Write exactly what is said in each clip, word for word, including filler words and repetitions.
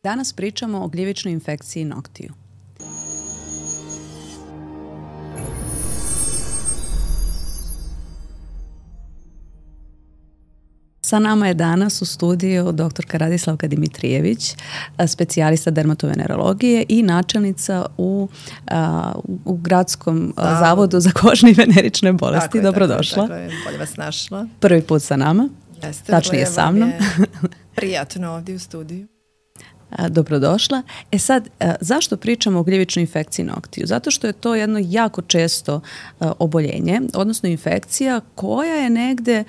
Danas pričamo o gljivičnoj infekciji noktiju. Sa nama je danas u studiju doktorka Radislavka Dimitrijević, specijalista dermatovenerologije i načelnica u, a, u Gradskom a, zavodu za kožne i venerične bolesti. Tako je, Dobrodošla. Tako je, bolje vas našla. Prvi put sa nama. Jeste, tačnije sa mnom. Prijatno ovdje u studiju. Dobrodošla. E sad, zašto pričamo o gljivičnoj infekciji noktiju? Zato što je to jedno jako često oboljenje, odnosno infekcija koja je negde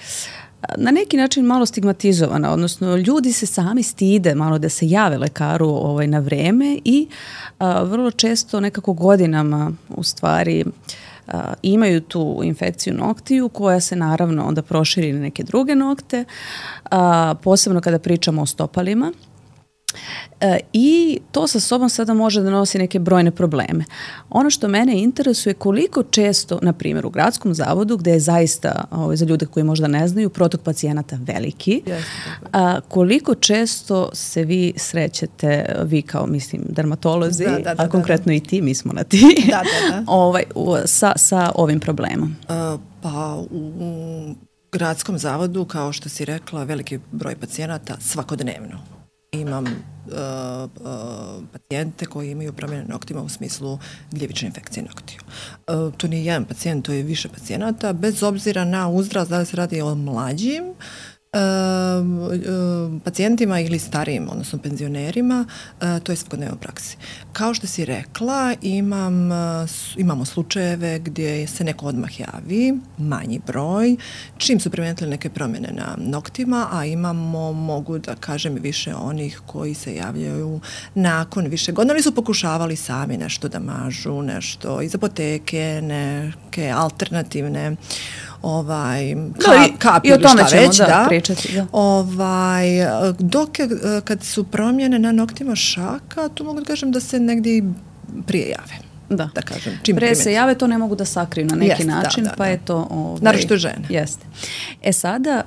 na neki način malo stigmatizovana, odnosno ljudi se sami stide malo da se jave lekaru ovaj, na vreme i a, vrlo često nekako godinama u stvari a, imaju tu infekciju noktiju koja se naravno onda proširi na neke druge nokte, a, posebno kada pričamo o stopalima. E, I to sa sobom sada može da nosi neke brojne probleme. Ono što mene interesuje koliko često, na primjer u Gradskom zavodu, gde je zaista, ovaj, za ljude koji možda ne znaju, protok pacijenata veliki, yes, a, koliko često se vi srećete, vi kao, mislim, dermatolozi, da, da, da, a konkretno da, da. i ti, mi smo na ti, da, da, da. ovaj, u, sa, sa ovim problemom. Uh, pa u Gradskom zavodu, kao što si rekla, veliki broj pacijenata svakodnevno. Imam uh, uh, pacijente koji imaju promjene noktima u smislu gljivične infekcije noktiju. Uh, to nije jedan pacijent, to je više pacijenata, bez obzira na uzrast, da li se radi o mlađim uh, uh, pacijentima ili starijim, odnosno penzionerima, uh, to je svakodnevno u praksi. Kao što si rekla, imam, uh, imamo slučajeve gdje se neko odmah javi, manji broj, čim su primetili neke promjene na noktima, a imamo, mogu da kažem, više onih koji se javljaju nakon više godina, ali su pokušavali sami nešto da mažu, nešto iz apoteke, neke alternativne ovaj ka, kapi i o tome šta već, da, da. pričati, da. Ovaj, dok je, kad su promjene na noktima šaka, tu mogu da kažem da se negdje prije jave. Da, da kažem, čim pre se jave, to ne mogu da sakriju na neki jest, način, da, da, pa da. je to... Ovaj, naročito žene. Jeste. E sada,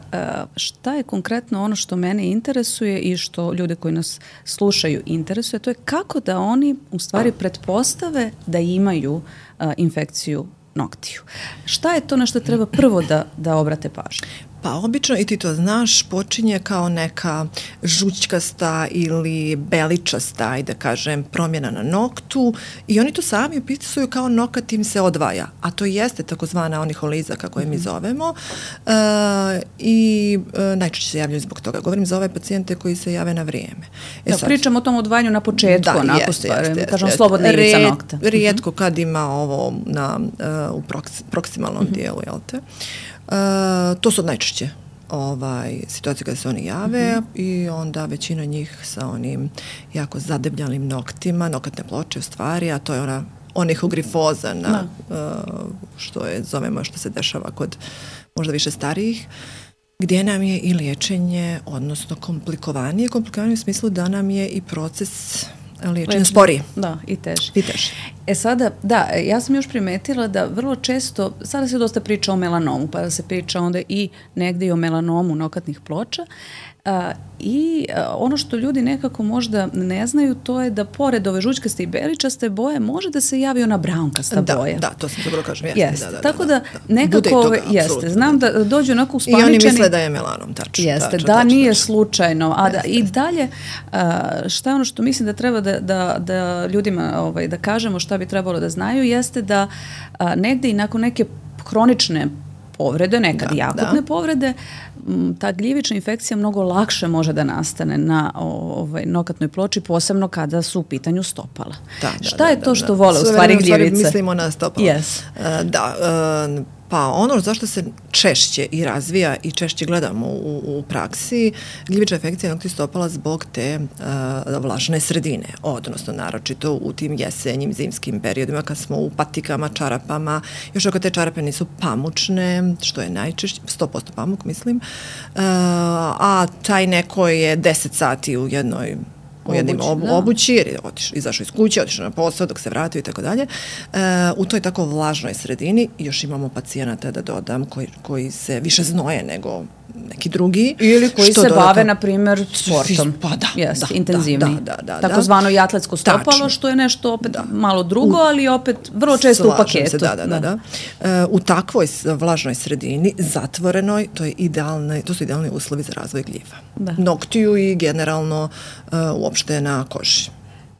šta je konkretno ono što mene interesuje i što ljude koji nas slušaju interesuje, to je kako da oni u stvari pretpostave da imaju uh, infekciju noktiju. Šta je to na što treba prvo da, da obrate pažnju? Pa obično, i ti to znaš, počinje kao neka žućkasta ili beličasta, i da kažem, promjena na noktu i oni to sami opisuju kao nokat im se odvaja, a to jeste takozvana oniholiza, kako je mi zovemo, e, i e, najčešće se javljaju zbog toga. Govorim za ove pacijente koji se jave na vrijeme. E da, sad, pričamo o tom odvajanju na početku, da, onako jeste, stvari, jeste, kažemo jeste. slobodna ivica nokta. Rijetko kad ima ovo na, uh, u proks, proksimalnom uh-huh. dijelu, jel te? Uh, to su najčešće ovaj, situacije kada se oni jave uh-huh. i onda većina njih sa onim jako zadebljanim noktima, nokatne ploče u stvari, a to je ona onihogrifoza na, uh, što je, zovemo, što se dešava kod možda više starijih, gdje nam je i liječenje, odnosno komplikovanije, komplikovanije u smislu da nam je i proces liječenja sporiji. Da, i teži. I teži. E sada, da, ja sam još primetila da vrlo često, sada se dosta priča o melanomu, pa da se priča onda i negdje i o melanomu nokatnih ploča. A, I a, ono što ljudi nekako možda ne znaju, to je da pored ove žućkaste i beličaste boje može da se javi ona braunkasta da, boja. Da, to sam dobro kažem. Jeste, jeste. Da, da, Tako da, da, da. nekako toga, jeste. Znam da dođu onako uspaničeni. I oni misle da je melanom, tačno. Jeste, tačno, da tačno, nije tačno. slučajno. A da, jeste, i dalje, a, šta je ono što mislim da treba da, da, da ljudima ovaj, da kažemo šta bi trebalo da znaju, jeste da a, negde i nakon neke hronične povrede, nekad da, i akutne da. povrede, ta gljivična infekcija mnogo lakše može da nastane na ovaj, nokatnoj ploči, posebno kada su u pitanju stopala. Da, da, Šta je da, to da, što da. vole u stvari gljivice? U stvari mislimo na stopala. Yes. Uh, da, uh, pa ono zašto se češće i razvija i češće gledamo u, u praksi, gljivična infekcija noktiju stopala zbog te uh, vlažne sredine, odnosno naročito u tim jesenjim, zimskim periodima kad smo u patikama, čarapama, još ako te čarape nisu pamučne, što je najčešće, sto posto pamuk mislim, uh, a taj neko je deset sati u jednoj u jednim Obući, ob, da. obući, jer je otiš, izašao iz kuće, otišao na posao, dok se vratio i tako dalje. U toj tako vlažnoj sredini još imamo pacijenata, da dodam, koji, koji se više znoje nego neki drugi. Ili koji što se dodatno, bave, na primjer, sportom. Pa da, Jest, da, intenzivni. Da, da, da, Takozvano i atletsko stopalo, Tačno. što je nešto opet Da. malo drugo, ali opet vrlo često Slažem u paketu. Se, da, da, da. da. E, u takvoj vlažnoj sredini, zatvorenoj, to, je idealne, to su idealni uslovi za razvoj gljiva. Da. Noktiju i generalno uh, uopšte na koži.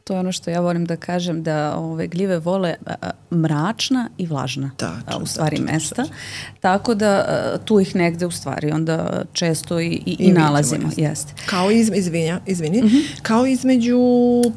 To je ono što ja volim da kažem, da ove gljive vole a, a, mračna i vlažna Tačno, a, u stvari tačno, mesta. tačno. Tako da a, tu ih negde u stvari onda često i, i, i, I nalazimo. vidimo, Jeste. Kao iz, izvinja, izvini, mm-hmm. kao između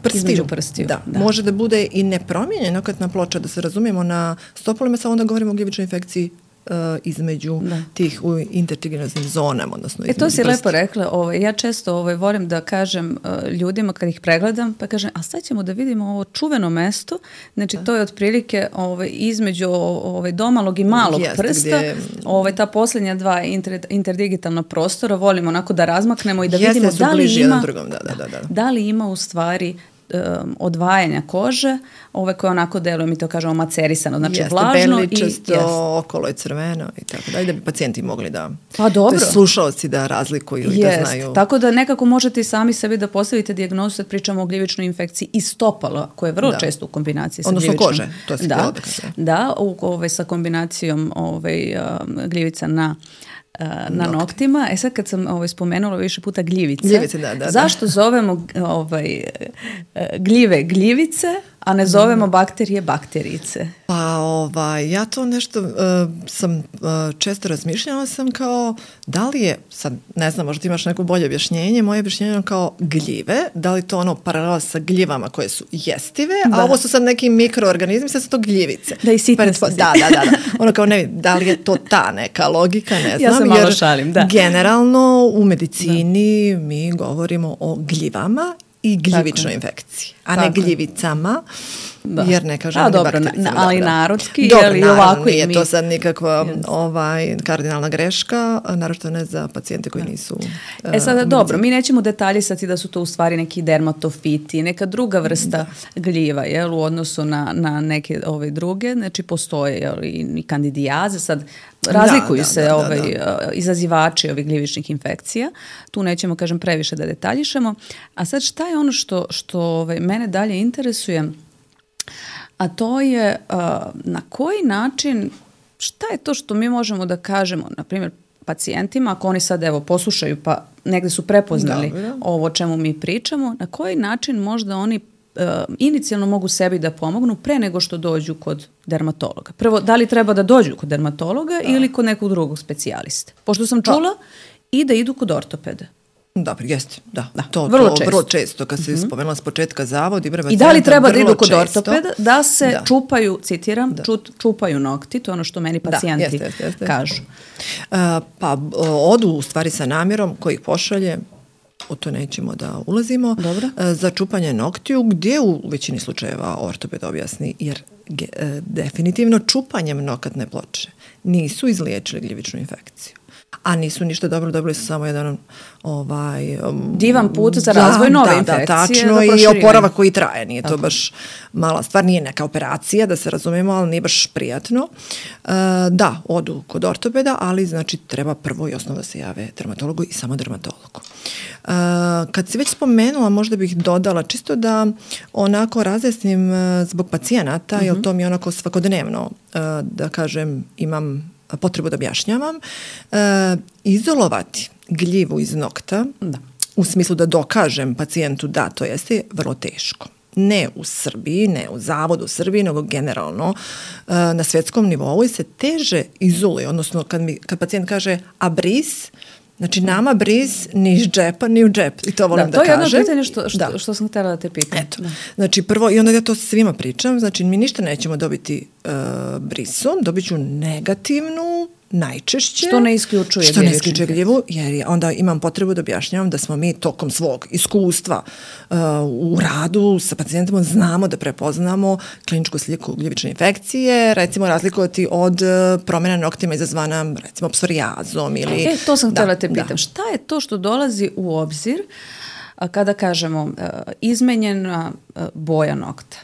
prstiju. Između prstiju, Da, da. može da bude i nepromijenjena okretna ploča, da se razumijemo na stopolima, samo onda govorimo o gljivičnoj infekciji uh, između da. tih u intertriginoznim zonama, odnosno E to si prsti. lepo rekla, ovaj, ja često ovaj, volim da kažem uh, ljudima kad ih pregledam, pa kažem, a sad ćemo da vidimo ovo čuveno mesto, znači to je otprilike ovaj, između ovaj, domalog i malog Jeste, prsta, gdje... ovaj, ta posljednja dva inter, interdigitalna prostora, volimo onako da razmaknemo i da Jeste, vidimo su da li bliži ima, jedan drugom, da, da, da, da. da li ima u stvari um, odvajanja kože, ove koje onako deluje, mi to kažemo macerisano, znači jeste, vlažno i belličasto, jest. okolo je crveno i tako da, i da bi pacijenti mogli da, Pa dobro. to je slušalci da razlikuju i da Jest. znaju. Tako da nekako možete i sami sebi da postavite dijagnozu, sad pričamo o gljivičnoj infekciji i stopala, koje je vrlo Da. često u kombinaciji sa Odnosno gljivičnom. kože, to si da, htjela da kažem. da, u, ovaj, sa kombinacijom ovaj, um, gljivica na uh, na Nokti. noktima. E sad kad sam ovaj, spomenula više puta gljivice, Gljivice, da, da, da. zašto zovemo ovaj, gljive gljivice, a ne zovemo bakterije bakterijice? Pa ovaj, ja to nešto uh, sam uh, često razmišljala sam kao, da li je, sad ne znam, možda imaš neko bolje objašnjenje, moje objašnjenje je kao gljive, da li to ono paralela sa gljivama koje su jestive, Da. a ovo su sad neki mikroorganizmi, sad su to gljivice. Da, i sitne Pretpo- su. Da, da, da, da. Ono kao ne, da li je to ta neka logika, ne znam. Ja se malo jer šalim, da. Generalno u medicini da. mi govorimo o gljivama i gljivičnoj infekciji, a ne Tako je. gljivicama. Da. Jer ne kažem A, ni dobro, bakterijicama, na- ali da, da. narodski, Dobro, je li naravno, ovako i nije mi- to sad nikakva Yes. ovaj, kardinalna greška, naravno ne za pacijente koji nisu E sada, uh, dobro, mi nećemo detaljisati da su to u stvari neki dermatofiti, neka druga vrsta da. gljiva, jel, u odnosu na, na neke ove druge, znači postoje jel, i, i kandidijaze, sad razlikuju Da, da, se da, da, ovaj, da. izazivači ovih gljivičnih infekcija, tu nećemo, kažem, previše da detaljišemo, a sad šta je ono što, što ovaj, mene dalje interesuje, a to je uh, na koji način, šta je to što mi možemo da kažemo, na primjer, pacijentima, ako oni sad evo poslušaju pa negde su prepoznali Dobro. ovo o čemu mi pričamo, na koji način možda oni uh, inicijalno mogu sebi da pomognu pre nego što dođu kod dermatologa. Prvo, da li treba da dođu kod dermatologa da. ili kod nekog drugog specijaliste? Pošto sam čula da. i da idu kod ortopeda. Da, jeste, da. Da, To, vrlo to, često. vrlo često, kad se mm-hmm. spomenula s početka zavod i broj I da li treba da idu kod često, ortopeda, da se da. čupaju, citiram, Da. čut, čupaju nokti, to je ono što meni pacijenti jeste, jeste, jeste. kažu. Uh, pa odu u stvari sa namjerom koji ih pošalje, o to nećemo da ulazimo, Dobro. uh, za čupanje noktiju, gdje u većini slučajeva ortoped objasni, jer ge, uh, definitivno čupanjem nokatne ploče nisu izliječili gljivičnu infekciju. A nisu ništa dobro, dobili su samo jedan ovaj, um, divan put za razvoj nove da, infekcije. Da, tačno, za i proširivanje. oporavak koji traje. Nije Tako. to baš mala stvar, nije neka operacija, da se razumemo, ali nije baš prijatno. Uh, da, odu kod ortopeda, ali znači treba prvo i osnovno da se jave dermatologu i samo dermatologu. Uh, kad si već spomenula, možda bih dodala čisto da onako razjasnim uh, zbog pacijenata, mm-hmm. jer to mi je onako svakodnevno, uh, da kažem, imam potrebu da objašnjavam, e, izolovati gljivu iz nokta, da. u smislu da dokažem pacijentu da to jeste, vrlo teško. Ne u Srbiji, ne u zavodu u Srbiji, nego generalno e, na svjetskom nivou i se teže izoluje, odnosno kad, mi, kad pacijent kaže a bris, znači nama bris ni iz džepa, ni u džep. I to volim da, da kažem. To je jedno pitanje što, što, da. što sam htjela da te pitam. Eto. Znači prvo, i onda ja to svima pričam, znači mi ništa nećemo dobiti uh, brisom, dobit ću negativnu, najčešće. Što ne isključuje Što ne isključuje gljivu, jer je, onda imam potrebu da objašnjavam da smo mi tokom svog iskustva uh, u radu sa pacijentima znamo da prepoznamo kliničku sliku gljivične infekcije, recimo razlikovati od uh, promjena noktima izazvana recimo psorijazom ili... E, to sam htjela da, te pitam. Da. Šta je to što dolazi u obzir kada kažemo izmenjena boja nokta,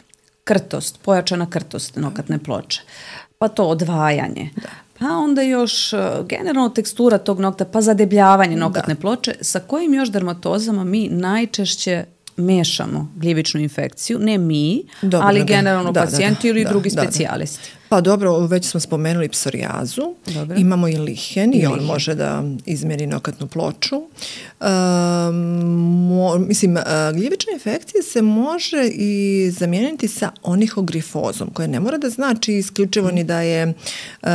krtost, pojačana krtost nokatne ploče, pa to odvajanje, da. Pa onda još generalno tekstura tog nokta, pa zadebljavanje nokatne da. ploče, sa kojim još dermatozama mi najčešće mešamo gljivičnu infekciju, ne mi, dobro, ali generalno da, pacijenti da, da, ili da, drugi da, specijalisti. Da. Pa dobro, već smo spomenuli psorijazu, dobro. Imamo i lihen i, I on lihen. može da izmjeri nokatnu ploču. Um, mo, mislim, uh, gljivična infekcija se može i zamijeniti sa onihogrifozom, koja ne mora da znači isključivo ni da je uh,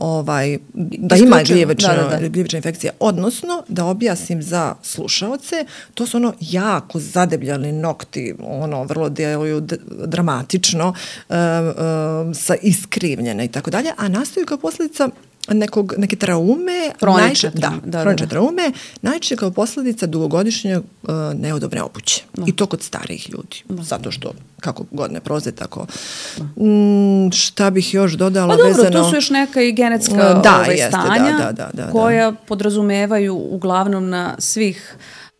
ovaj, da ima gljivična, da, da, da. gljivična infekcija, odnosno da objasnim za slušaoce, to su ono jako zadebljali nokti, ono vrlo djeluju dramatično, uh, uh, sa iskrivljene i tako dalje, a nastaju kao posljedica nekog, neke traume, hronične da, da, da, da. traume, najčešće kao posljedica dugogodišnje uh, neudobne obuće. Da. I to kod starijih ljudi. Da. Zato što, kako godine proze, tako. Mm, šta bih još dodala pa dobro, vezano... tu su još neka i genetska da, ovaj, jeste, stanja da, da, da, da, koja podrazumevaju uglavnom na svih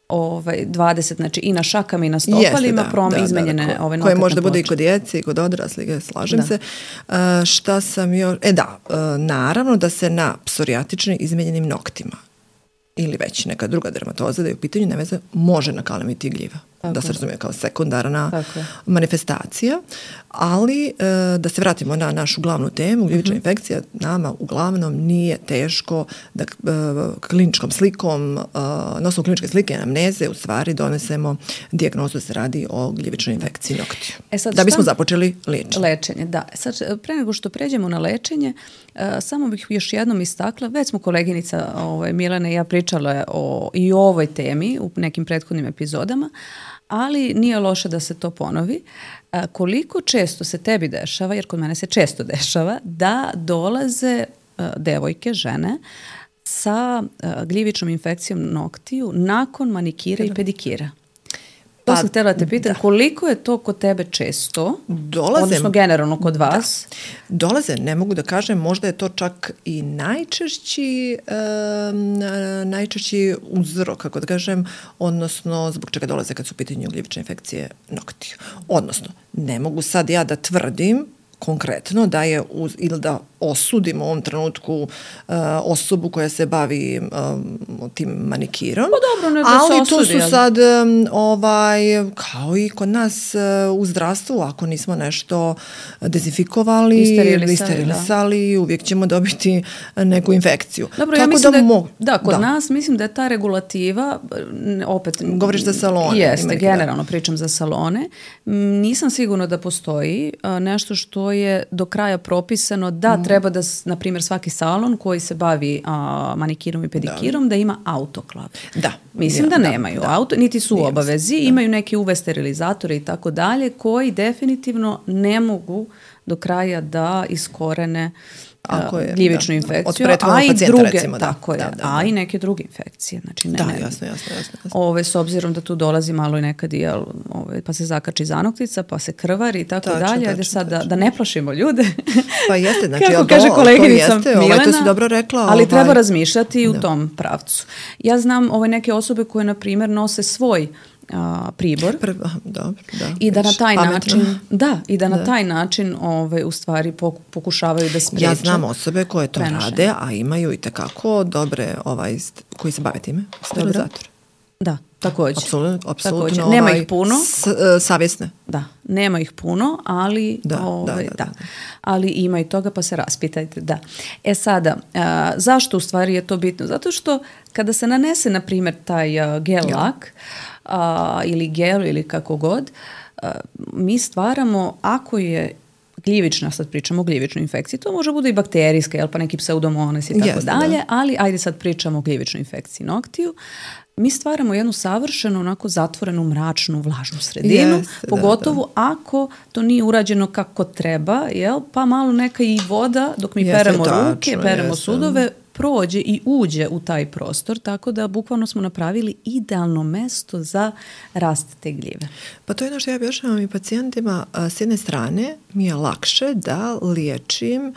ovaj dvadeset, znači i na šakama i na stopalima da, prom da, izmenjene da, da, ove nokatne koje možda ploče. bude i kod djece i kod odraslih, slažem da. se. Uh, šta sam još... E da, uh, naravno da se na psorijatični izmenjenim noktima ili već neka druga dermatoza da je u pitanju neveze može nakalemiti gljiva. Tako. Da se razumije kao sekundarna Tako. manifestacija, ali e, da se vratimo na našu glavnu temu, gljivična uh-huh. infekcija nama uglavnom nije teško da e, kliničkom slikom, e, na osnovu kliničke slike anamneze u stvari donesemo dijagnozu da se radi o gljivičnoj infekciji noktiju. E sad, da bismo šta? započeli liječenje. Lečenje, da. Sad, pre nego što pređemo na lečenje, e, samo bih još jednom istakla, već smo koleginica ovaj, Milena i ja pričale o, i o ovoj temi u nekim prethodnim epizodama, ali nije loše da se to ponovi. A, koliko često se tebi dešava, jer kod mene se često dešava, da dolaze a, devojke, žene, sa a, gljivičnom infekcijom noktiju nakon manikira i pedikira? To pa, sam htjela da te pitam, da. koliko je to kod tebe često, dolaze, odnosno generalno kod vas? Da. Dolaze, ne mogu da kažem, možda je to čak i najčešći, um, najčešći uzrok, kako da kažem, odnosno zbog čega dolaze kad su u pitanju gljivične infekcije noktiju. Odnosno, ne mogu sad ja da tvrdim konkretno da je uz, ili da osudimo u ovom trenutku uh, osobu koja se bavi um, tim manikirom. Pa dobro, ne da ali se osudi. Ali tu su sad um, ovaj, kao i kod nas uh, u zdravstvu, ako nismo nešto dezinfikovali, isterilisali, isterilisali uvijek ćemo dobiti neku infekciju. Dobro, Tako ja mislim da, da, mo- da, kod da. nas mislim da je ta regulativa, opet... Govoriš za salone. Jeste, generalno da. pričam za salone. Nisam sigurna da postoji uh, nešto što je do kraja propisano da mm. treba da, na primjer, svaki salon koji se bavi a, manikirom i pedikirom da, da ima autoklav. Da. Mislim ja, da, da nemaju da, auto, niti su u obavezi, da. imaju neke U V sterilizatore i tako dalje, koji definitivno ne mogu do kraja da iskorene Ako je, gljivičnu da, infekciju, a i druge, recimo, da, tako je, da, da, da. a i neke druge infekcije. Znači, ne, da, ne, jasno, jasno, jasno. jasno. Ove, s obzirom da tu dolazi malo i nekad i, ove, pa se zakači zanoktica, pa se krvari i tako tačno, dalje. Ajde sad da, da ne plašimo ljude. Pa jeste, znači, kako ja, kaže koleginica jeste, Milena, ovaj, to si dobro rekla. Ali ovaj, treba razmišljati i u da. tom pravcu. Ja znam ove neke osobe koje, na primjer, nose svoj A, pribor Prv, dobro, da, i da na taj pametno. način da i da na da. taj način ovaj u stvari pokušavaju da spreče. Ja znam osobe koje to prenošenje. rade, a imaju i tekako dobre ovaj koji se bave time, sterilizator. Da, također. Apsolutno, apsolutno. Ovaj, nema ovaj, ih puno. S, uh, savjesne. Da, nema ih puno, ali da, ovaj, da, da, da. da. Ali ima i toga, pa se raspitajte. Da. E sada, a, zašto u stvari je to bitno? Zato što kada se nanese, na primjer, taj a, gel lak, a, ili gel ili kako god, a, mi stvaramo, ako je gljivična, sad pričamo o gljivičnoj infekciji, to može bude i bakterijska, jel, pa neki pseudomonas i tako yes, dalje, da. ali ajde sad pričamo o gljivičnoj infekciji noktiju. Mi stvaramo jednu savršenu, onako zatvorenu, mračnu, vlažnu sredinu, yes, pogotovo da, da. ako to nije urađeno kako treba, jel, pa malo neka i voda, dok mi yes, peremo tačno, ruke, peremo yes, sudove, prođe i uđe u taj prostor, tako da bukvalno smo napravili idealno mesto za rast te gljive. Pa to je ono što ja objašnjavam i pacijentima. S jedne strane mi je lakše da liječim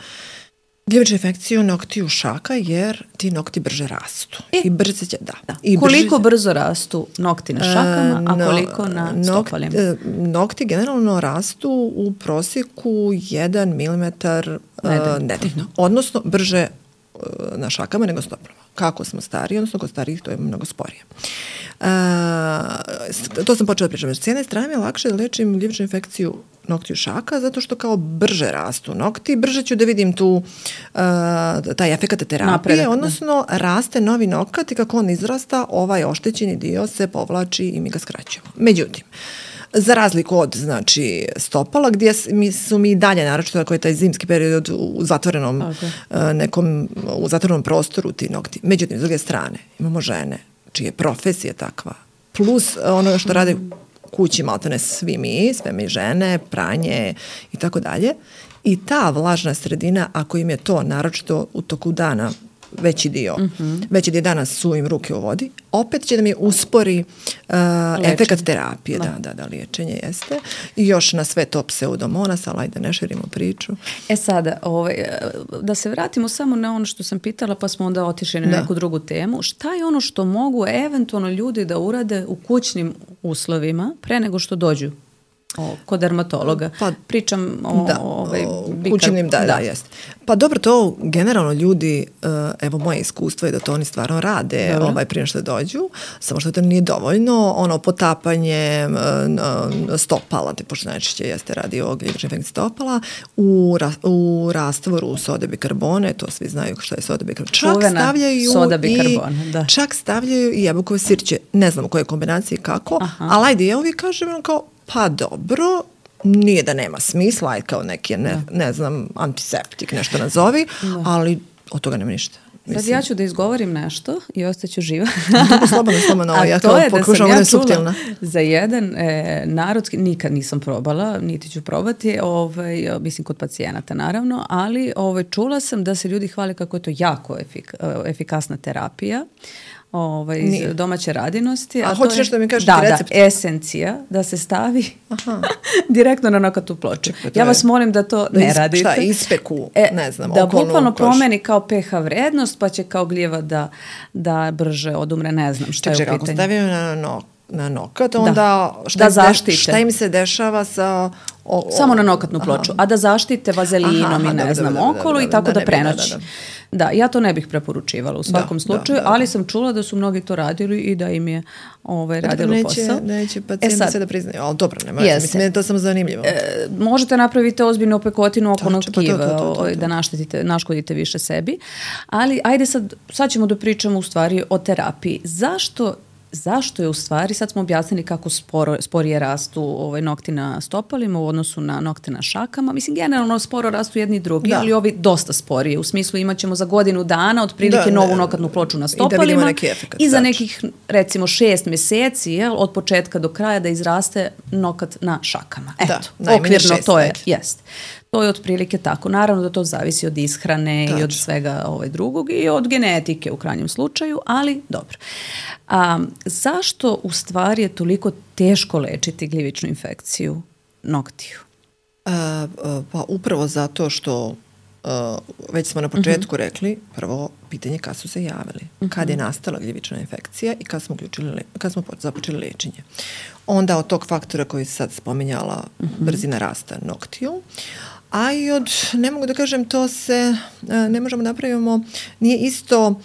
Gljivična infekcija noktiju šaka jer ti nokti brže rastu. E, I brže će, da. da. I koliko brže, brzo rastu nokti na šakama, a koliko na no, stopalima? Nokti, nokti generalno rastu u prosjeku jedan milimetar nedeljno. Odnosno brže uh, na šakama nego stopalima. Kako smo stariji, odnosno kod starijih to je mnogo sporije. Uh, to sam počela pričati. S jedne strane mi je lakše da lečim gljivičnu infekciju noktiju šaka, zato što kao brže rastu nokti, brže ću da vidim tu uh, taj efekat terapije, napredak, odnosno da. Raste novi nokat i kako on izrasta, ovaj oštećeni dio se povlači i mi ga skraćujemo. Međutim, za razliku od, znači, stopala, gdje mi su mi dalje, naročito ako je taj zimski period u zatvorenom okay. nekom, u zatvorenom prostoru ti nokti. Međutim, s druge strane, imamo žene čije profesija takva, plus ono što rade kući, maltene svi mi, sve mi žene, pranje i tako dalje. I ta vlažna sredina, ako im je to naročito u toku dana veći dio, mm-hmm. veći dio dana su im ruke u vodi, opet će da mi uspori uh, efekat terapije. Da. da, da, da, liječenje jeste. I još na sve to pseudomonas, ali ajde ne širimo priču. E sada, ovaj, da se vratimo samo na ono što sam pitala, pa smo onda otišli na da. neku drugu temu. Šta je ono što mogu eventualno ljudi da urade u kućnim uslovima pre nego što dođu O, kod dermatologa. Pa, pričam o, da, ovaj, o kućnim, da, da, da, jest. Pa dobro, to generalno ljudi, evo moje iskustvo je da to oni stvarno rade ovaj, prije što dođu, samo što to nije dovoljno, ono potapanje stopala, te pošto najčešće jeste radi o gljivičnoj infekciji stopala, u, u rastvoru sode bikarbone, to svi znaju što je soda bikarbone. Čak Čuvena stavljaju soda i, bikarbone, da. Čak stavljaju i jabukove sirće, ne znam u kojoj kombinaciji kako, Aha. ali ajde, ja uvijek kažem kao pa dobro, nije da nema smisla, aj kao neki, ne, ne znam, antiseptik, nešto nazovi, da. Ali od toga nema ništa. Sad ja ću da izgovorim nešto i ostaću živa. Slobodno, slobodno, ja to pokušam, ona je suptilna. Za jedan e, narodski, nikad nisam probala, niti ću probati, ovaj, mislim kod pacijenata naravno, ali ovaj, čula sam da se ljudi hvale kako je to jako efik, efikasna terapija. Ovaj, iz Nije. domaće radinosti. A, a hoćeš nešto da mi kažeš da, recept? Da, esencija, da se stavi direktno na nokatnu ploču. Ja vas molim da to da ne radite. Šta, ispeku, e, ne znam, da bukvalno promeni kao pH vrednost, pa će kao gljiva da, da brže odumre, ne znam šta Ček, je u pitanju. Ako stavim na, no, na nokat, onda da, šta, da zaštite. Šta im se dešava sa... O, o, Samo na nokatnu ploču, aha. a da zaštite vazelinom aha, i ne da, znam da, da, okolo da, da, i tako da, da prenoći. Da, da, da. Da, ja to ne bih preporučivala u svakom da, slučaju, da, da, ali sam čula da su mnogi to radili i da im je ovaj, radilo neće, posao. Neće pacijenti e se da priznaju, ali dobro, nema yes. mislim, je to samo zanimljivo. E, možete napraviti ozbiljnu opekotinu oko tkiva, da naštetite, naškodite više sebi, ali ajde sad, sad ćemo da pričamo u stvari o terapiji. Zašto Zašto je u stvari, sad smo objasnili kako sporo, sporije rastu ovaj, nokti na stopalima u odnosu na nokte na šakama. Mislim, generalno sporo rastu jedni i drugi, da. ali ovi dosta sporije. U smislu imat ćemo za godinu dana otprilike da, novu nokatnu ploču na stopalima i, da efekt, i za nekih, recimo, šest mjeseci, jel, od početka do kraja da izraste nokat na šakama. Eto, da, okvirno šest, to je, jest. To je otprilike tako. Naravno da to zavisi od ishrane Tačno. i od svega ovaj drugog i od genetike u krajnjem slučaju, ali dobro. A, zašto u stvari je toliko teško lečiti gljivičnu infekciju noktiju? A, a, pa upravo zato što a, već smo na početku uh-huh. rekli, prvo pitanje kad su se javili, uh-huh. kad je nastala gljivična infekcija i kad smo, uključili, kad smo započeli lečenje. Onda od tog faktora koji sad spominjala uh-huh. brzina rasta noktiju, a i od, ne mogu da kažem, to se, ne možemo da napravimo, nije isto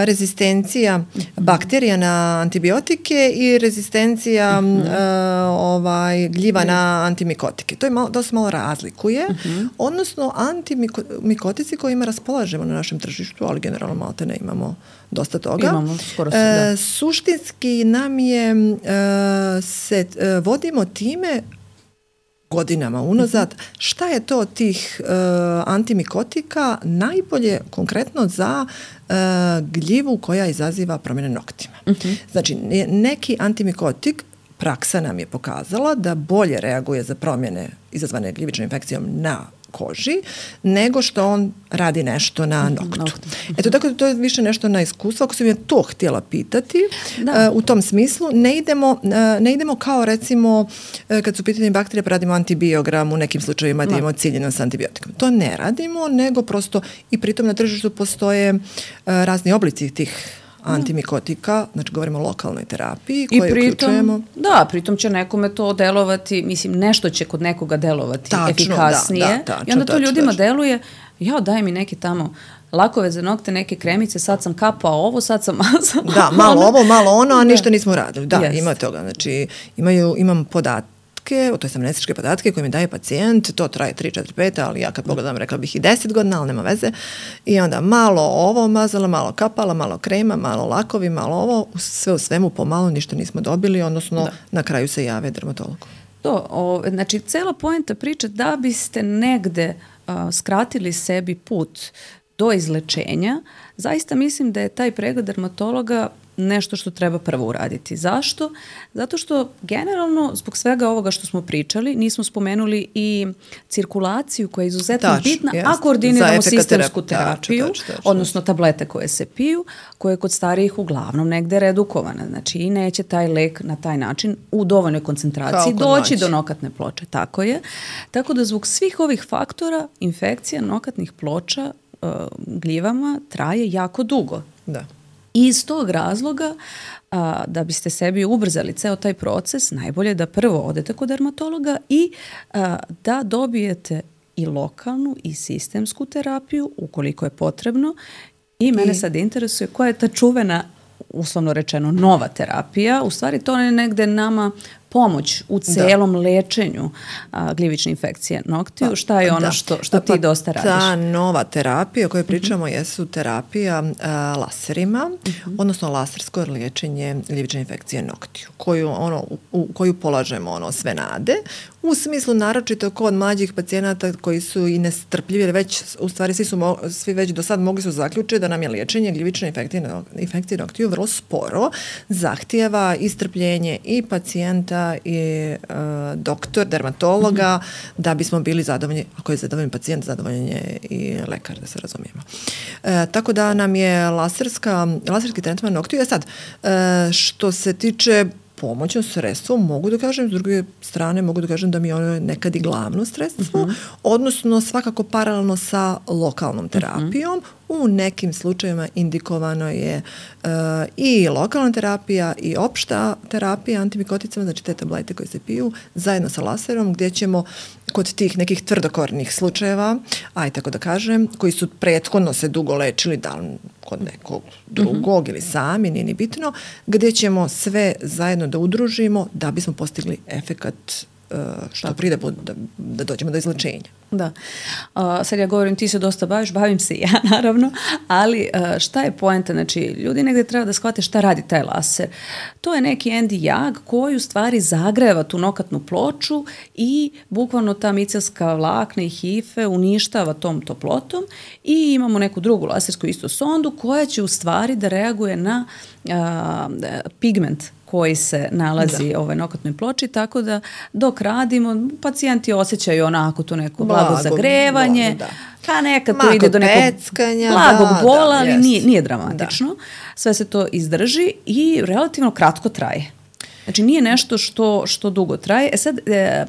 rezistencija bakterija na antibiotike i rezistencija uh-huh. uh, ovaj, gljiva uh-huh. na antimikotike. To je malo, dosta malo razlikuje, uh-huh. odnosno antimikotici kojima raspolažemo na našem tržištu, ali generalno malo te ne imamo dosta toga. Imamo, skoro se, da. Uh, suštinski nam je, uh, se uh, vodimo time godinama unazad, šta je to tih uh, antimikotika najbolje konkretno za uh, gljivu koja izaziva promjene noktima. Uh-huh. Znači, neki antimikotik, praksa nam je pokazala da bolje reaguje za promjene izazvane gljivičnom infekcijom na koži, nego što on radi nešto na noktu. Eto, tako da to je više nešto na iskustvo. Ako sam je to htjela pitati, da. Uh, u tom smislu ne idemo, uh, ne idemo kao recimo uh, kad su pitanje bakterije pa radimo antibiogram, u nekim slučajevima da imamo ciljeno s antibiotikom. To ne radimo, nego prosto i pritom na tržištu postoje uh, razni oblici tih antimikotika, znači govorimo o lokalnoj terapiji koju uključujemo. Da, pritom će nekome to delovati, mislim, nešto će kod nekoga delovati tačno, efikasnije. Da, da, tačno, i onda to tačno, ljudima tačno. deluje, ja daj mi neki tamo lakove za nokte, neke kremice, sad sam kapao ovo, sad sam mazala. Da, malo ovo, malo ono, a ništa nismo radili. Da, yes. ima toga. Znači, imaju, imam podatke, to je amnestičke podatke koje mi daje pacijent, to traje tri, četiri, pet, ali ja kad pogledam rekla bih i deset godina, ali nema veze. I onda malo ovo mazala, malo kapala, malo krema, malo lakovi, malo ovo, sve u svemu pomalo ništa nismo dobili, odnosno da. na kraju se jave dermatologu. To, o, znači, cela poenta priče da biste negde a, skratili sebi put do izlečenja, zaista mislim da je taj pregled dermatologa nešto što treba prvo uraditi. Zašto? Zato što generalno zbog svega ovoga što smo pričali nismo spomenuli i cirkulaciju koja je izuzetno tač, bitna, jest. a koordiniramo sistemsku terapiju, tač, tač, tač, odnosno tablete koje se piju, koje je kod starijih uglavnom negde redukovana. Znači i neće taj lek na taj način u dovoljnoj koncentraciji doći do nokatne ploče. Tako je. Tako da zbog svih ovih faktora infekcija nokatnih ploča uh, gljivama traje jako dugo. Da. I iz tog razloga, a, da biste sebi ubrzali ceo taj proces, najbolje je da prvo odete kod dermatologa i a, da dobijete i lokalnu i sistemsku terapiju, ukoliko je potrebno. I mene I... sad interesuje koja je ta čuvena, uslovno rečeno, nova terapija. U stvari to je negde nama pomoć u celom da. lečenju a, gljivične infekcije noktiju. Pa, šta je ono da. što, što pa, ti dosta radiš? Ta nova terapija o kojoj pričamo uh-huh. jesu terapija a, laserima, uh-huh. odnosno lasersko liječenje gljivične infekcije noktiju, koju, ono, u, u koju polažemo ono, sve nade, u smislu naročito kod mlađih pacijenata koji su i nestrpljivi, jer već, u stvari svi, su, svi već do sad mogli su zaključiti da nam je liječenje gljivične infekcije, infekcije noktiju vrlo sporo, zahtijeva i strpljenje i pacijenta i e, doktor, dermatologa, mm-hmm. da bismo bili zadovoljni, ako je zadovoljen pacijent, zadovoljen je i lekar, da se razumijemo. E, tako da nam je laserska, laserski tretman noktiju. E sad, e, što se tiče pomoćno sredstvo, mogu da kažem, s druge strane mogu da kažem da mi je ono nekad i glavno sredstvo, uh-huh. odnosno svakako paralelno sa lokalnom terapijom. Uh-huh. U nekim slučajevima indikovano je uh, i lokalna terapija i opšta terapija antimikoticama, znači te tablete koje se piju, zajedno sa laserom, gdje ćemo kod tih nekih tvrdokornih slučajeva, aj tako da kažem, koji su prethodno se dugo lečili, da li kod nekog drugog uh-huh. ili sami, nije ni bitno, gdje ćemo sve zajedno da udružimo da bismo postigli efekat uh, što tako. pride da, da dođemo do izlečenja. Da. Uh, sad ja govorim, ti se dosta baviš, bavim se i ja naravno, ali uh, šta je poenta? Znači, ljudi negdje treba da shvate šta radi taj laser. To je neki endi jag koji u stvari zagreva tu nokatnu ploču i bukvalno ta micelska vlakna i hife uništava tom toplotom i imamo neku drugu lasersku isto sondu koja će u stvari da reaguje na uh, pigment koji se nalazi u ovoj nokatnoj ploči, tako da dok radimo, pacijenti osjećaju onako to neko blago, blago zagrevanje, da. pa nekad to ide do nekog peckanja, blagog da, bola, da, ali yes. nije, nije dramatično. Da. Sve se to izdrži i relativno kratko traje. Znači nije nešto što, što dugo traje. E sad, e,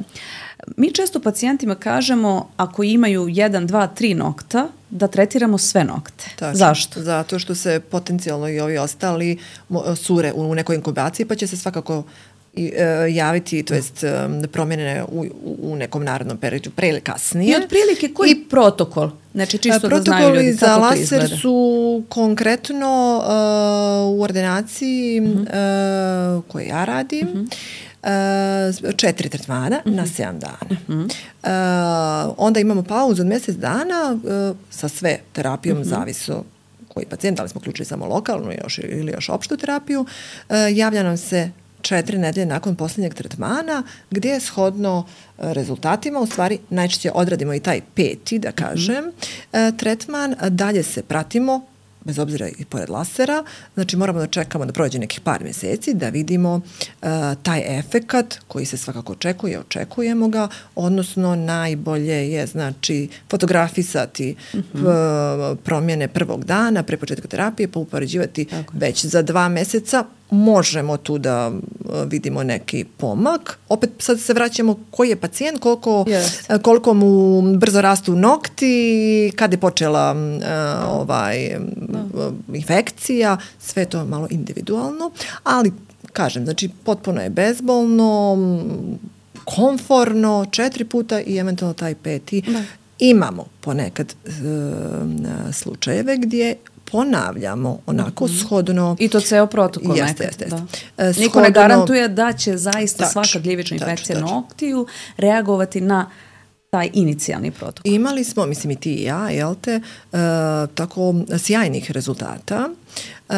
mi često pacijentima kažemo ako imaju jedan, dva, tri nokta, da tretiramo sve nokte. Tačno. Zašto? Zato što se potencijalno i ovi ostali sure u nekoj inkubaciji, pa će se svakako i, e, javiti, to jest e, promjene u, u nekom narednom periodu, pre ili kasnije. I otprilike koji I, protokol? Znači čisto da znaju ljudi kako to izgleda. Protokoli za laser su konkretno uh, u ordinaciji uh-huh. uh, koje ja radim, uh-huh. Uh, četiri tretmana uh-huh. na sedam dana. Uh-huh. Uh, onda imamo pauzu od mjesec dana uh, sa sve terapijom, uh-huh. zavisno koji pacijent, da li smo uključili samo lokalnu još, ili još opštu terapiju, uh, javlja nam se četiri nedelje nakon posljednjeg tretmana, gdje je shodno rezultatima, u stvari najčešće odradimo i taj peti, da kažem, uh-huh. tretman, dalje se pratimo bez obzira i pored lasera, znači moramo da čekamo da prođe nekih par mjeseci da vidimo uh, taj efekat koji se svakako očekuje, očekujemo ga, odnosno najbolje je znači fotografisati mm-hmm. p- promjene prvog dana pre početka terapije, pa upoređivati već za dva mjeseca. Možemo tu da vidimo neki pomak. Opet sad se vraćamo koji je pacijent, koliko, yes. koliko mu brzo rastu nokti, kad je počela uh, ovaj, no. infekcija, sve to malo individualno, ali kažem, znači potpuno je bezbolno, komforno, četiri puta i eventualno taj peti. Da. Imamo ponekad uh, slučajeve gdje ponavljamo onako mm-hmm. shodno. I to ceo protokol jeste, jeste, jeste. Da. Niko shodno, ne garantuje da će zaista tač, svaka gljivična infekcija tač, tač. noktiju reagovati na taj inicijalni protokol. Imali smo, mislim i ti i ja, jel te, uh, tako sjajnih rezultata uh,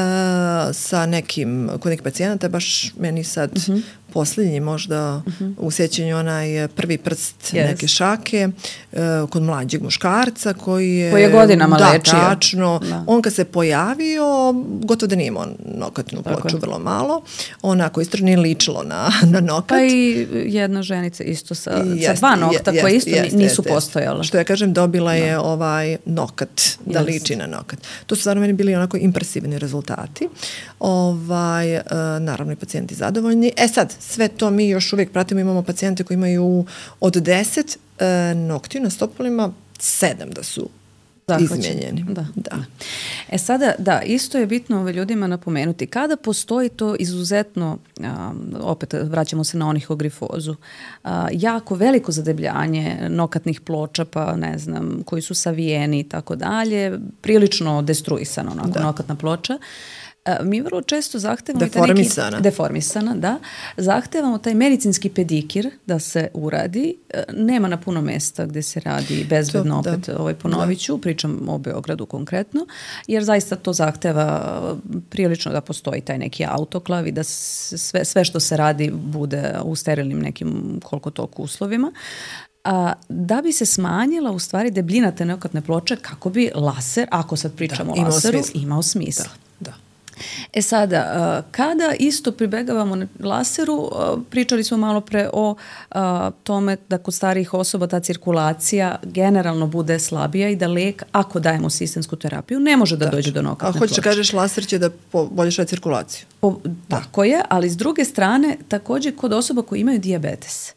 sa nekim, kod nekih pacijenata, baš meni sad mm-hmm. posljednji možda mm-hmm. u sjećanju onaj prvi prst yes. neke šake uh, kod mlađeg muškarca koji je, koji je godinama da, lečio. Tačno, da. On kad se pojavio, gotovo da nije imao nokatnu ploču, vrlo malo. Onako isto nije ličilo na, na nokat. Pa i jedna ženica isto sa, jest, sa dva nokta jest, koje isto jest, nisu jest, postojala. Što ja kažem, dobila da. je ovaj nokat, da yes. liči na nokat. To su stvarno meni bili onako impresivni rezultati. Ovaj, uh, naravno i pacijenti zadovoljni. E sad, sve to mi još uvijek pratimo, imamo pacijente koji imaju od deset uh, noktiju na stopalima, sedam da su Zahvaćen. izmijenjeni. Da. Da. E sada, da, isto je bitno ove ljudima napomenuti. Kada postoji to izuzetno, a, opet vraćamo se na onihogrifozu, a, jako veliko zadebljanje nokatnih ploča, pa ne znam, koji su savijeni i tako dalje, prilično destruisano onako, da. nokatna ploča, mi vrlo često zahtevamo deformisana. Neki, deformisana, da. Zahtevamo taj medicinski pedikir da se uradi. Nema na puno mjesta gdje se radi bezbedno, to, opet ovaj, ponovit ću, pričam o Beogradu konkretno, jer zaista to zahteva prilično da postoji taj neki autoklav i da sve, sve što se radi bude u sterilnim nekim koliko toliko uslovima. A, da bi se smanjila u stvari debljina te nokatne ploče kako bi laser, ako sad pričamo da, o laseru, smisla. imao smisla. Da, da. E sada, kada isto pribegavamo na laseru, pričali smo malo pre o tome da kod starijih osoba ta cirkulacija generalno bude slabija i da lek, ako dajemo sistemsku terapiju, ne može da Tačno. dođe do nokatne ploče. A hoćeš kažeš laser će da poboljša cirkulaciju? Po, tako je, ali s druge strane, također kod osoba koji imaju dijabetes,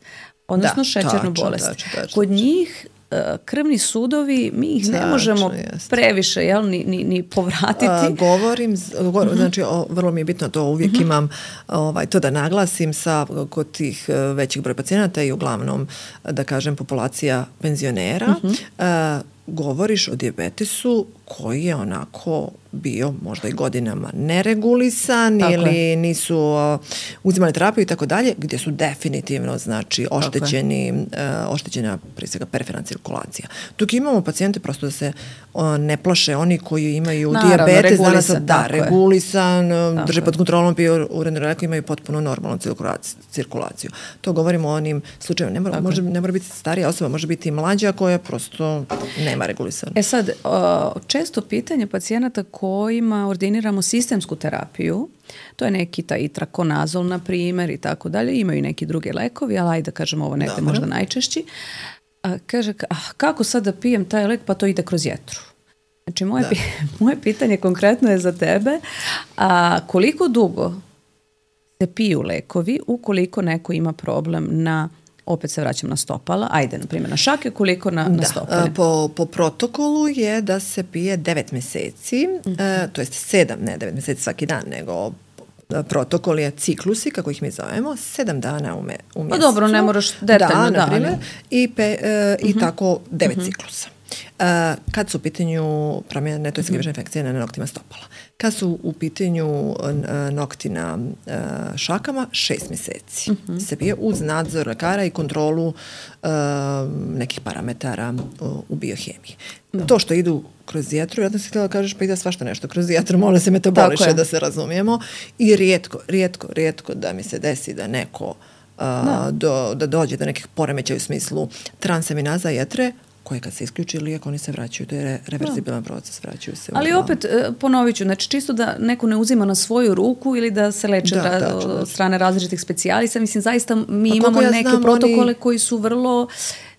odnosno da, šećernu tačno, bolest, tačno, tačno, kod njih krvni sudovi, mi ih ne možemo jest. previše jel, ni, ni, ni povratiti. A, govorim, govor, uh-huh. znači o, vrlo mi je bitno to, uvijek uh-huh. imam ovaj, to da naglasim sa kod tih većih broj pacijenata i uglavnom, da kažem, populacija penzionera. Uh-huh. A, govoriš o dijabetesu koji je onako bio možda i godinama neregulisan tako ili je. nisu uh, uzimali terapiju i tako dalje, gdje su definitivno znači oštećeni, uh, oštećena prije svega periferna cirkulacija. Dok imamo pacijente prosto da se uh, ne plaše, oni koji imaju Naravno, dijabetes, regulisan, da, regulisan, tako drže pod kontrolom, piju uredno reku, imaju potpuno normalnu cirkulaciju. To govorimo o onim slučajima. Ne mora, može, ne mora biti starija osoba, može biti i mlađa koja prosto nema regulisan. E sad, uh, često pitanje pacijenata kojima ordiniramo sistemsku terapiju, to je neki taj trakonazol, na primjer, i tako dalje, imaju neki drugi lekovi, ali ajde da kažemo ovo negdje možda najčešći. A, kaže, a, kako sad da pijem taj lek, pa to ide kroz jetru. Znači, moje, pi, moje pitanje konkretno je za tebe, a koliko dugo se piju lekovi ukoliko neko ima problem na, opet se vraćam na stopala, ajde, na primjer, na šake, koliko na, na stopale? Po, po protokolu je da se pije devet mjeseci, mm-hmm. e, to jest sedam, ne devet mjeseci svaki dan, nego protokol je ciklusi, kako ih mi zovemo, sedam dana u, me, u mjesecu. Pa dobro, ne moraš detaljno, da, na primjer, i, pe, e, mm-hmm. i tako devet mm-hmm. ciklusa. Uh, kad su u pitanju promjene, to je gljivična infekcija na noktima stopala. Kad su u pitanju uh, nokti na uh, šakama, šest mjeseci. Uh-huh. Se pije uz nadzor lekara i kontrolu uh, nekih parametara uh, u biohemiji. Da. To što idu kroz jetru, ja sam si htjela da kažeš pa ide svašta nešto kroz jetru, molim se metaboliše da se razumijemo. I rijetko, rijetko, rijetko da mi se desi da neko uh, da. Do, da dođe do nekih poremećaja u smislu transaminaza jetre, koje kad se isključi lijek, oni se vraćaju. To je reverzibilan proces, vraćaju se. Ali opet, ponovit ću, znači čisto da neko ne uzima na svoju ruku ili da se leče da, ra- da, od strane različitih specijalista. Mislim, zaista mi pa imamo ja neke znam, protokole oni... koji su vrlo,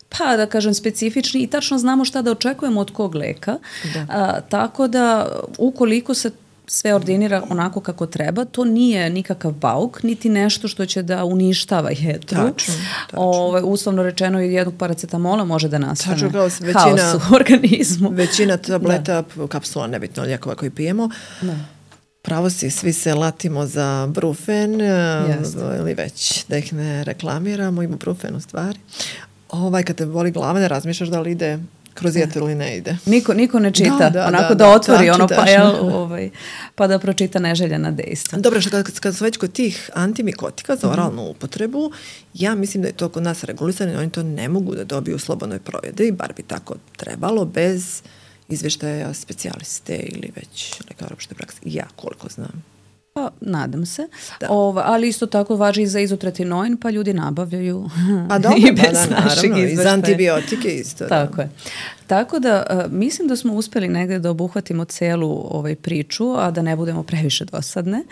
pa da kažem, specifični i tačno znamo šta da očekujemo od kog leka. Da. A, tako da, ukoliko se sve ordinira onako kako treba, to nije nikakav bauk, niti nešto što će da uništava jetru. Tačno, tačno. Ove, uslovno rečeno, jednog paracetamola može da nastane tačno, kao većina, haos u organizmu. Većina tableta, da. kapsula, nebitno lijekova koji pijemo, da. Pravo si, svi se latimo za Brufen, yes. ili već da ih ne reklamiramo, Ibuprofen u stvari. Ovaj, kad te boli glava, ne razmišljaš da li ide kroz jetru ili ne ide. Niko, niko ne čita, da, da, onako da, da otvori da, ono čitaš. pa, jel, ovaj, pa da pročita neželjena dejstva. Dobro, što kad, kad su već kod tih antimikotika za oralnu mm-hmm. upotrebu, ja mislim da je to kod nas regulisano, oni to ne mogu da dobiju u slobodnoj prodaji, bar bi tako trebalo, bez izvještaja specijaliste ili već lekara opšte prakse. Ja koliko znam. Pa, nadam se. Ova, ali isto tako važi i za izotretinoin, pa ljudi nabavljaju pa dobro, i bez pa da, našeg naravno, izveštaja. I za antibiotike isto. Tako da. je. Tako da, uh, mislim da smo uspeli negde da obuhvatimo celu ovaj priču, a da ne budemo previše dosadne.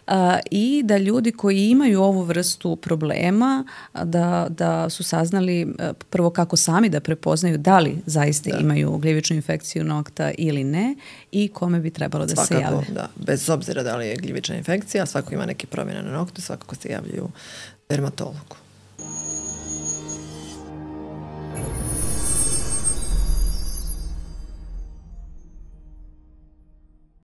Uh, I da ljudi koji imaju ovu vrstu problema, da, da su saznali uh, prvo kako sami da prepoznaju da li zaista da. imaju gljivičnu infekciju nokta ili ne i kome bi trebalo da svakako, se jave. Da. Bez obzira da li je gljivična infekcija, svako ima neke promjene na noktu, svakako se javljaju dermatologu.